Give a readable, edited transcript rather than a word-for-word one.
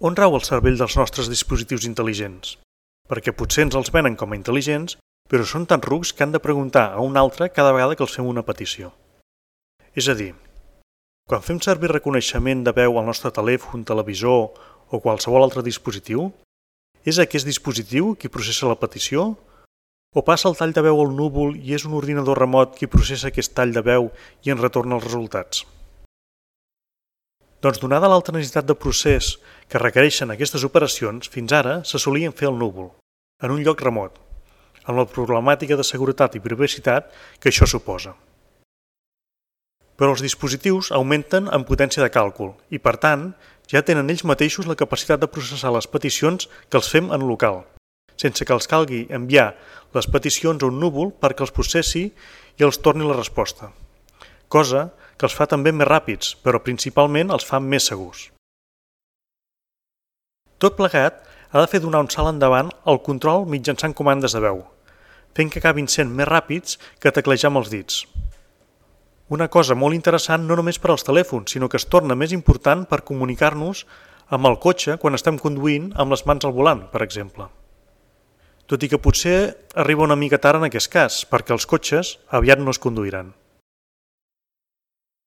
On rau el cervell dels nostres dispositius intel·ligents? Perquè potser ens els venen com a intel·ligents, però són tan rucs que han de preguntar a un altre cada vegada que els fem una petició. És a dir, quan fem servir reconeixement de veu al nostre telèfon, televisor o qualsevol altre dispositiu, és aquest dispositiu qui processa la petició? O passa el tall de veu al núvol i és un ordinador remot qui processa aquest tall de veu i ens retorna els resultats? Doncs donada l'alta necessitat de procés que requereixen aquestes operacions, fins ara se solien fer al núvol, en un lloc remot, amb la problemàtica de seguretat i privacitat que això suposa. Però els dispositius augmenten en potència de càlcul i, per tant, ja tenen ells mateixos la capacitat de processar les peticions que els fem en local, sense que els calgui enviar les peticions a un núvol perquè els processi i els torni la resposta, cosa que els fa també més ràpids, però principalment els fa més segurs. Tot plegat ha de fer donar un salt endavant el control mitjançant comandes de veu, fent que acabin sent més ràpids que teclejar amb els dits. Una cosa molt interessant no només per als telèfons, sinó que es torna més important per comunicar-nos amb el cotxe quan estem conduint amb les mans al volant, per exemple. Tot i que potser arriba una mica tard en aquest cas, perquè els cotxes aviat no es conduiran.